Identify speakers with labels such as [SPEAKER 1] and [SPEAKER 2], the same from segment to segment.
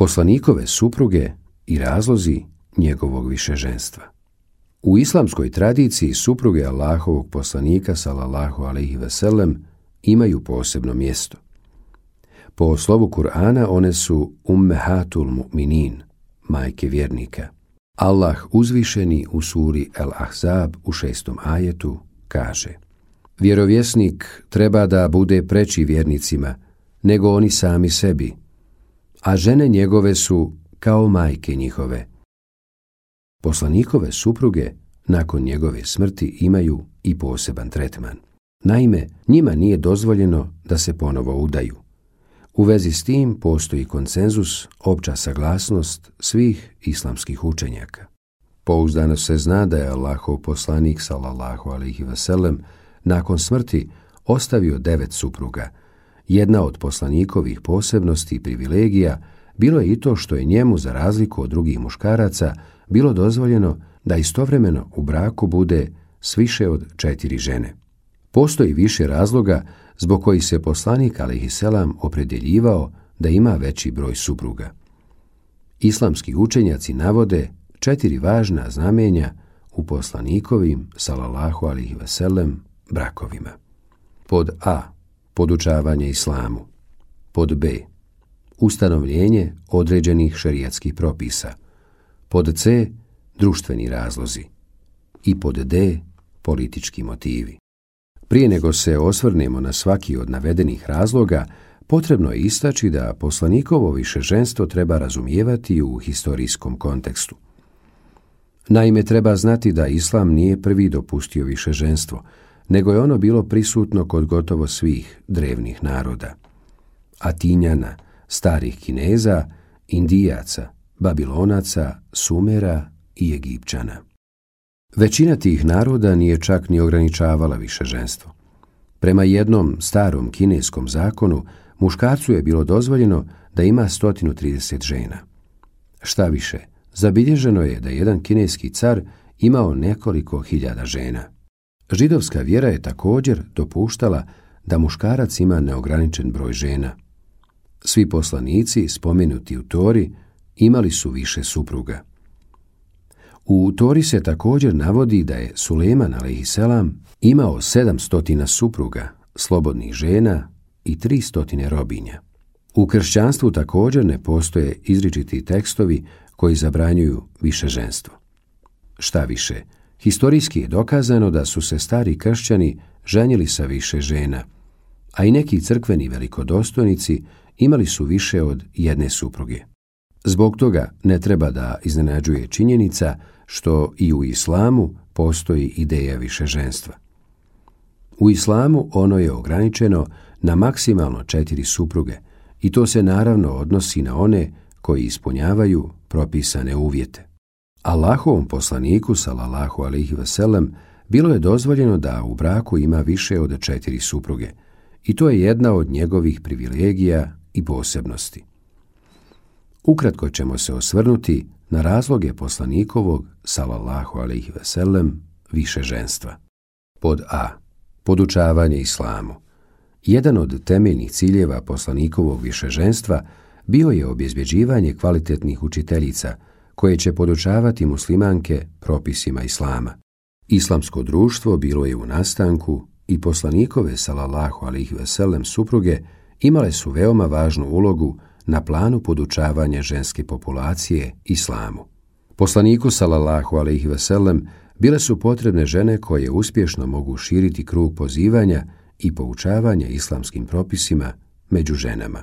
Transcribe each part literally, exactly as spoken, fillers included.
[SPEAKER 1] Poslanikove supruge i razlozi njegovog višeženstva. U islamskoj tradiciji supruge Allahovog poslanika sallallahu alejhi ve sellem imaju posebno mjesto. Po slovu Kur'ana one su ummehatul mu'minin, majke vjernika. Allah uzvišeni u suri El-Ahzab u šestom ajetu kaže: vjerovjesnik treba da bude preči vjernicima nego oni sami sebi, a žene njegove su kao majke njihove. Poslanikove supruge nakon njegove smrti imaju i poseban tretman. Naime, njima nije dozvoljeno da se ponovo udaju. U vezi s tim postoji konsenzus, opća saglasnost svih islamskih učenjaka. Pouzdano se zna da je Allahov poslanik sallallahu alejhi ve sellem nakon smrti ostavio devet supruga. Jedna od poslanikovih posebnosti i privilegija bilo je i to što je njemu, za razliku od drugih muškaraca, bilo dozvoljeno da istovremeno u braku bude s više od četiri žene. Postoji više razloga zbog kojih se poslanik alejhiselam opredjeljivao da ima veći broj supruga. Islamski učenjaci navode četiri važna znamenja u poslanikovim sallallahu alejhi ve sellem brakovima. Pod A. Podučavanje islamu. Pod B. Ustanovljenje određenih šerijatskih propisa. Pod C. Društveni razlozi. I pod D. Politički motivi. Prije nego se osvrnemo na svaki od navedenih razloga, potrebno je istaći da poslanikovo višeženstvo treba razumijevati u historijskom kontekstu. Naime, treba znati da Islam nije prvi dopustio višeženstvo, nego je ono bilo prisutno kod gotovo svih drevnih naroda. Atinjana, starih Kineza, Indijaca, Babilonaca, Sumera i Egipćana. Većina tih naroda nije čak ni ograničavala višeženstvo. Prema jednom starom kineskom zakonu, muškarcu je bilo dozvoljeno da ima sto trideset žena. Šta više, zabilježeno je da jedan kineski car imao nekoliko hiljada žena. Židovska vjera je također dopuštala da muškarac ima neograničen broj žena. Svi poslanici, spomenuti u Tori, imali su više supruga. U Tori se također navodi da je Sulejman alejhiselam imao sedamsto supruga, slobodnih žena i tristo robinja. U kršćanstvu također ne postoje izričiti tekstovi koji zabranjuju višeženstvo. Šta više, historijski je dokazano da su se stari kršćani ženili sa više žena, a i neki crkveni velikodostojnici imali su više od jedne supruge. Zbog toga ne treba da iznenađuje činjenica što i u islamu postoji ideja višeženstva. U islamu ono je ograničeno na maksimalno četiri supruge i to se naravno odnosi na one koji ispunjavaju propisane uvjete. Allahovom poslaniku sallallahu alejhi ve sellem bilo je dozvoljeno da u braku ima više od četiri supruge i to je jedna od njegovih privilegija i posebnosti. Ukratko ćemo se osvrnuti na razloge poslanikovog sallallahu alejhi ve sellem višeženstva. Pod A. Podučavanje islamu. Jedan od temeljnih ciljeva poslanikovog višeženstva bio je obezbjeđivanje kvalitetnih učiteljica koje će podučavati muslimanke propisima islama. Islamsko društvo bilo je u nastanku i poslanikove sallallahu alejhi ve sellem supruge imale su veoma važnu ulogu na planu podučavanja ženske populacije islamu. Poslaniku sallallahu alejhi ve sellem bile su potrebne žene koje uspješno mogu širiti krug pozivanja i poučavanja islamskim propisima među ženama.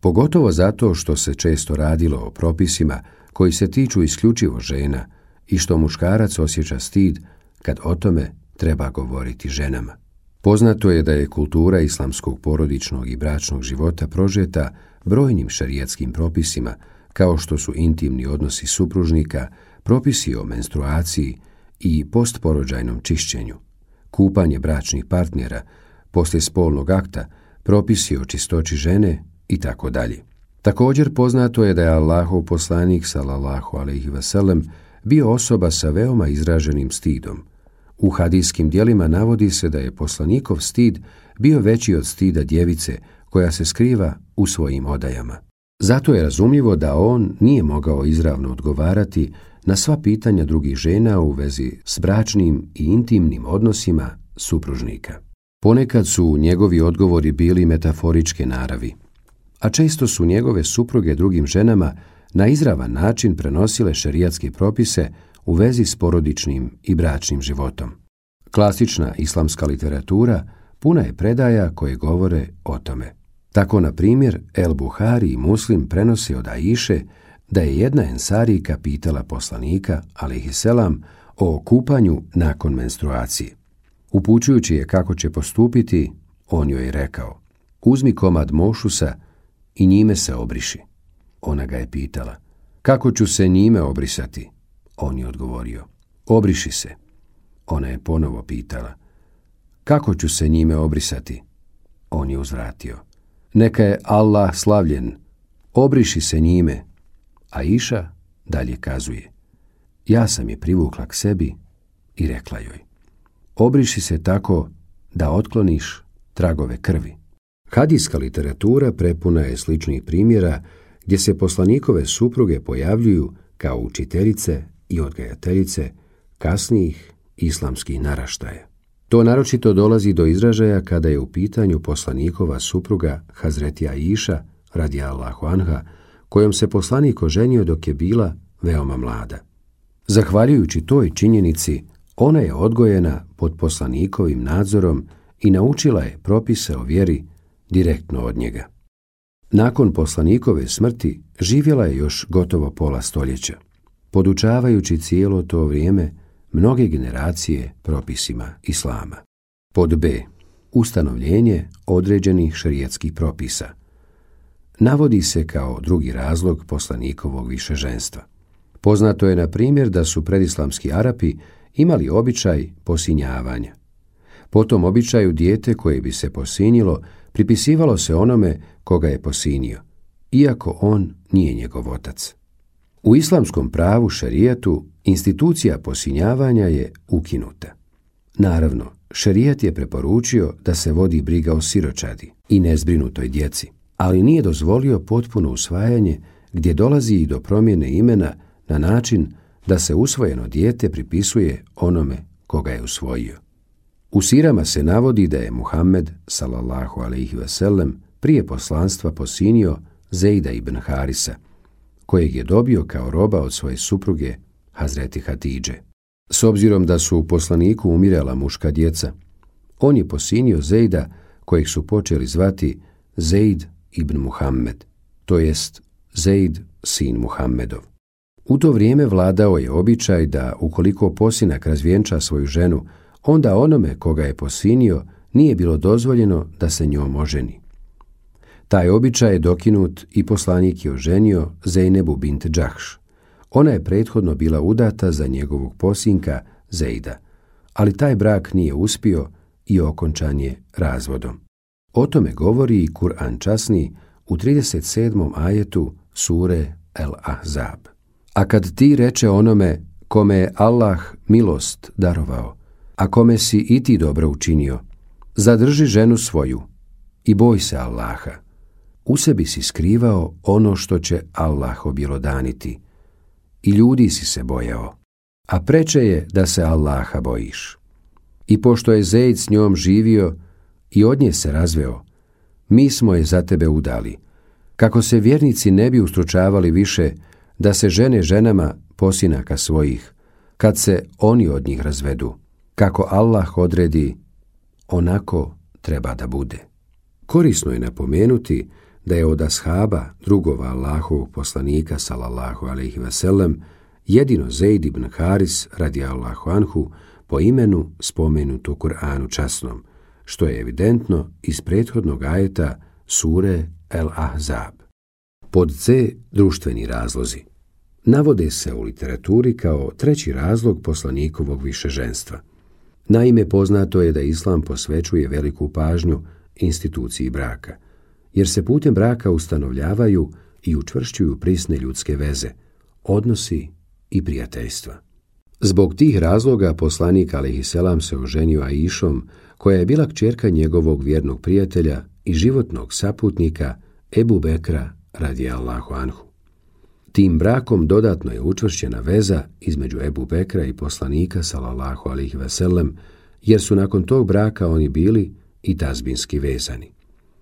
[SPEAKER 1] Pogotovo zato što se često radilo o propisima koji se tiču isključivo žena i što muškarac osjeća stid kad o tome treba govoriti ženama. Poznato je da je kultura islamskog porodičnog i bračnog života prožeta brojnim šerijatskim propisima, kao što su intimni odnosi supružnika, propisi o menstruaciji i postporođajnom čišćenju, kupanje bračnih partnera, poslije spolnog akta, propisi o čistoći žene i tako dalje. Također poznato je da je Allahov poslanik sallallahu alejhi ve sellem bio osoba sa veoma izraženim stidom. U hadijskim djelima navodi se da je poslanikov stid bio veći od stida djevice koja se skriva u svojim odajama. Zato je razumljivo da on nije mogao izravno odgovarati na sva pitanja drugih žena u vezi s bračnim i intimnim odnosima supružnika. Ponekad su njegovi odgovori bili metaforičke naravi, a često su njegove supruge drugim ženama na izravan način prenosile šerijatske propise u vezi s porodičnim i bračnim životom. Klasična islamska literatura puna je predaja koje govore o tome. Tako, na primjer, El Buhari i Muslim prenose od Aiše da je jedna Ensarijka pitala poslanika, alejhiselam, o kupanju nakon menstruacije. Upućujući je kako će postupiti, on joj je rekao: uzmi komad mošusa i njime se obriši. Ona ga je pitala: kako ću se njime obrisati? On je odgovorio: obriši se. Ona je ponovo pitala: kako ću se njime obrisati? On je uzvratio: neka je Allah slavljen, obriši se njime. Aiša dalje kazuje: ja sam je privukla k sebi i rekla joj: obriši se tako da otkloniš tragove krvi. Hadijska literatura prepuna je sličnih primjera gdje se poslanikove supruge pojavljuju kao učiteljice i odgajateljice kasnijih islamskih naraštaja. To naročito dolazi do izražaja kada je u pitanju poslanikova supruga Hazreti Aiša radijallahu anha, kojom se poslanik oženio dok je bila veoma mlada. Zahvaljujući toj činjenici, ona je odgojena pod poslanikovim nadzorom i naučila je propise o vjeri direktno od njega. Nakon poslanikove smrti živjela je još gotovo pola stoljeća, podučavajući cijelo to vrijeme mnoge generacije propisima islama. Pod B. Ustanovljenje određenih šerijatskih propisa. Navodi se kao drugi razlog poslanikovog višeženstva. Poznato je, na primjer, da su predislamski Arapi imali običaj posinjavanja. Po tom običaju dijete koje bi se posinjilo pripisivalo se onome koga je posinio, iako on nije njegov otac. U islamskom pravu šerijatu institucija posinjavanja je ukinuta. Naravno, šerijat je preporučio da se vodi briga o siročadi i nezbrinutoj djeci, ali nije dozvolio potpuno usvajanje gdje dolazi i do promjene imena na način da se usvojeno dijete pripisuje onome koga je usvojio. U sirama se navodi da je Muhammed sallallahu alejhi ve sellem prije poslanstva posinio Zejda ibn Harisa, kojeg je dobio kao roba od svoje supruge Hazreti Hatidže. S obzirom da su u poslaniku umirala muška djeca, on je posinio Zejda, kojeg su počeli zvati Zejd ibn Muhammed, to jest Zejd sin Muhammedov. U to vrijeme vladao je običaj da ukoliko posinak razvjenča svoju ženu, onda onome koga je posinio nije bilo dozvoljeno da se njom oženi. Taj običaj je dokinut i poslanik je oženio Zejnebu bint Džahš. Ona je prethodno bila udata za njegovog posinka Zejda, ali taj brak nije uspio i okončan je razvodom. O tome govori i Kur'an časni u trideset sedmom ajetu sure El Ahzab. A kad ti reče onome kome je Allah milost darovao, a kome si i ti dobro učinio, zadrži ženu svoju i boj se Allaha. U sebi si skrivao ono što će Allah objelodaniti i ljudi si se bojao, a preče je da se Allaha bojiš. I pošto je Zejd s njom živio i od nje se razveo, mi smo je za tebe udali, kako se vjernici ne bi ustručavali više da se žene ženama posinaka svojih, kad se oni od njih razvedu. Kako Allah odredi, onako treba da bude. Korisno je napomenuti da je od ashaba drugova Allahovog poslanika sallallahu alejhi ve sellem jedino Zejd ibn Haris radijallahu anhu po imenu spomenut u Kur'anu časnom, što je evidentno iz prethodnog ajeta sure El Ahzab. Pod C. Društveni razlozi. Navode se u literaturi kao treći razlog poslanikovog višeženstva. Naime, poznato je da Islam posvećuje veliku pažnju instituciji braka, jer se putem braka ustanovljavaju i učvršćuju prisne ljudske veze, odnosi i prijateljstva. Zbog tih razloga poslanik alejhiselam se oženio Aišom, koja je bila kćerka njegovog vjernog prijatelja i životnog saputnika Ebu Bekra radijallahu anhu. Tim brakom dodatno je učvršćena veza između Ebu Bekra i poslanika sallallahu alejhi ve sellem, jer su nakon tog braka oni bili i tazbinski vezani.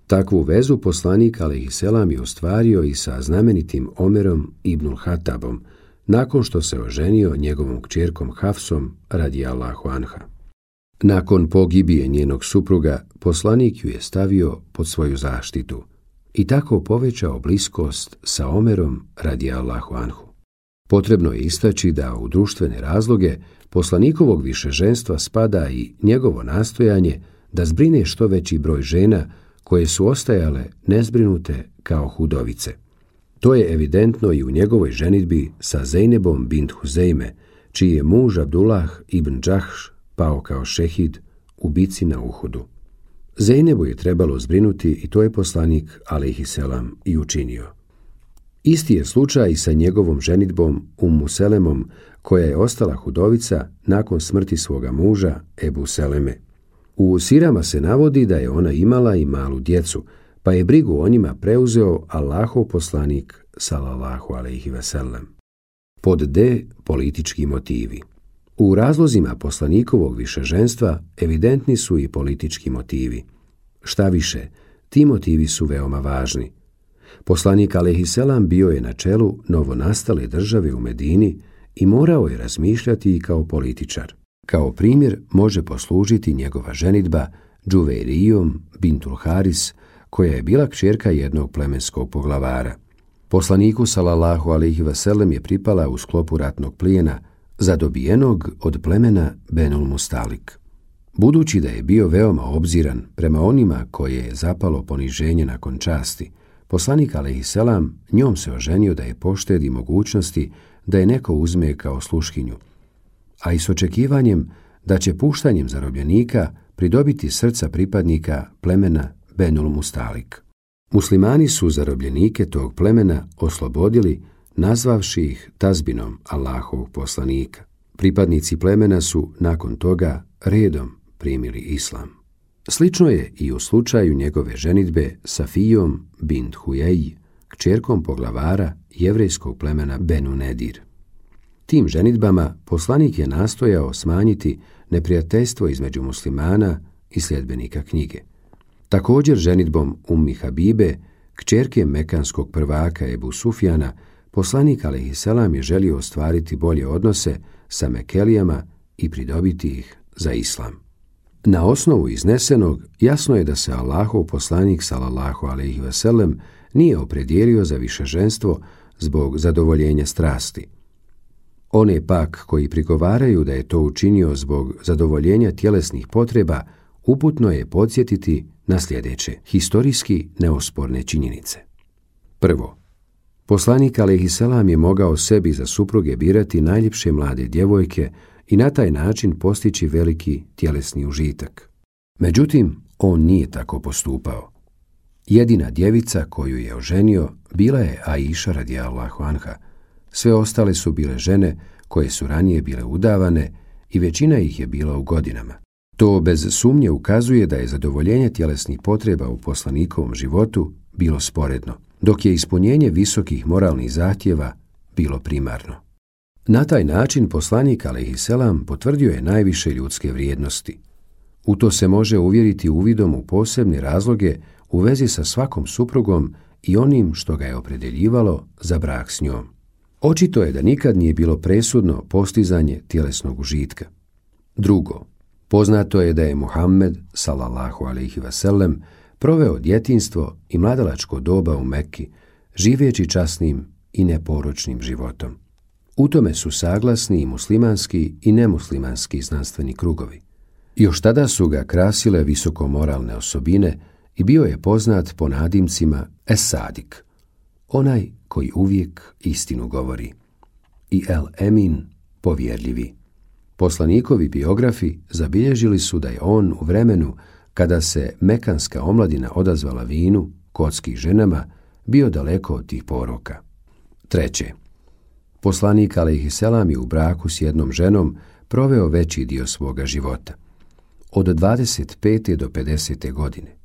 [SPEAKER 1] Takvu vezu poslanik alejhi selam je ostvario i sa znamenitim Omerom ibnul Hatabom, nakon što se oženio njegovom kćerkom Hafsom radijallahu anha. Nakon pogibije njenog supruga, poslanik ju je stavio pod svoju zaštitu i tako povećao bliskost sa Omerom radijallahu anhu. Potrebno je istaći da u društvene razloge poslanikovog višeženstva spada i njegovo nastojanje da zbrine što veći broj žena koje su ostajale nezbrinute kao hudovice. To je evidentno i u njegovoj ženidbi sa Zejnebom bint Huzejme, čiji je muž Abdullah ibn Džahš pao kao šehid u bici na Uhudu. Zejnebu je trebalo zbrinuti i to je poslanik alejhi selam i učinio. Isti je slučaj i sa njegovom ženidbom Ummu Selemom, koja je ostala hudovica nakon smrti svoga muža Ebu Seleme. U sirama se navodi da je ona imala i malu djecu, pa je brigu o njima preuzeo Allahov poslanik sallallahu alejhi ve sellem. Pod D. Politički motivi. U razlozima poslanikovog višeženstva evidentni su i politički motivi. Šta više, ti motivi su veoma važni. Poslanik alejhi selam bio je na čelu novonastale države u Medini i morao je razmišljati i kao političar. Kao primjer može poslužiti njegova ženidba Džuveirijom bintul Haris, koja je bila kćerka jednog plemenskog poglavara. Poslaniku sallallahu alejhi ve sellem je pripala u sklopu ratnog plijena zadobijenog od plemena Benul Mustalik. Budući da je bio veoma obziran prema onima koje je zapalo poniženje nakon časti, poslanik alejhi selam njom se oženio da je poštedi mogućnosti da je neko uzme kao sluškinju, a i s očekivanjem da će puštanjem zarobljenika pridobiti srca pripadnika plemena Benul Mustalik. Muslimani su zarobljenike tog plemena oslobodili, nazvavši ih tazbinom Allahovog poslanika. Pripadnici plemena su nakon toga redom primili islam. Slično je i u slučaju njegove ženidbe Safijom bint Hujej, kćerkom poglavara jevrejskog plemena Benu Nedir. Tim ženidbama poslanik je nastojao smanjiti neprijateljstvo između muslimana i sljedbenika knjige. Također ženidbom Ummi Habibe, kćerke mekanskog prvaka Ebu Sufjana, poslanik alejhi selam je želio ostvariti bolje odnose sa Mekelijama i pridobiti ih za islam. Na osnovu iznesenog jasno je da se Allahov poslanik sallallahu alejhi ve sellem nije opredijelio za višeženstvo zbog zadovoljenja strasti. One pak koji prigovaraju da je to učinio zbog zadovoljenja tjelesnih potreba, uputno je podsjetiti na sljedeće historijski neosporne činjenice. Prvo, poslanik alejhi selam je mogao sebi za supruge birati najljepše mlade djevojke i na taj način postići veliki tjelesni užitak. Međutim, on nije tako postupao. Jedina djevica koju je oženio bila je Aisha radijallahu anha. Sve ostale su bile žene koje su ranije bile udavane i većina ih je bila u godinama. To bez sumnje ukazuje da je zadovoljenje tjelesnih potreba u poslanikovom životu bilo sporedno, dok je ispunjenje visokih moralnih zahtjeva bilo primarno. Na taj način poslanik alejhi selam potvrdio je najviše ljudske vrijednosti. U to se može uvjeriti uvidom u posebne razloge u vezi sa svakom suprugom i onim što ga je opredjeljivalo za brak s njom. Očito je da nikad nije bilo presudno postizanje tjelesnog užitka. Drugo, poznato je da je Muhammed sallallahu alejhi ve sellem proveo djetinjstvo i mladalačko doba u Mekki, živeći časnim i neporočnim životom. U tome su saglasni i muslimanski i nemuslimanski znanstveni krugovi. Još tada su ga krasile visokomoralne osobine i bio je poznat po nadimcima Es-Sadik, onaj koji uvijek istinu govori, i El-Emin, povjerljivi. Poslanikovi biografi zabilježili su da je on u vremenu kada se mekanska omladina odazvala vinu, kocki i ženama, bio daleko od tih poroka. Treće, poslanik alejhi selam je u braku s jednom ženom proveo veći dio svoga života, od dvadeset pete do pedesete godine.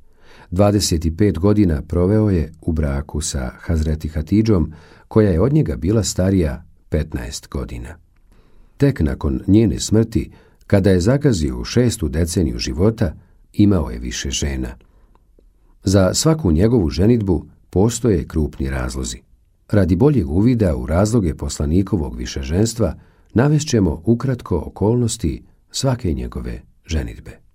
[SPEAKER 1] dvadeset pet godina proveo je u braku sa Hazreti Hatidžom, koja je od njega bila starija petnaest godina. Tek nakon njene smrti, kada je zagazio u šestu deceniju života, imao je više žena. Za svaku njegovu ženidbu postoje krupni razlozi. Radi boljeg uvida u razloge poslanikovog višeženstva, navest ćemo ukratko okolnosti svake njegove ženidbe.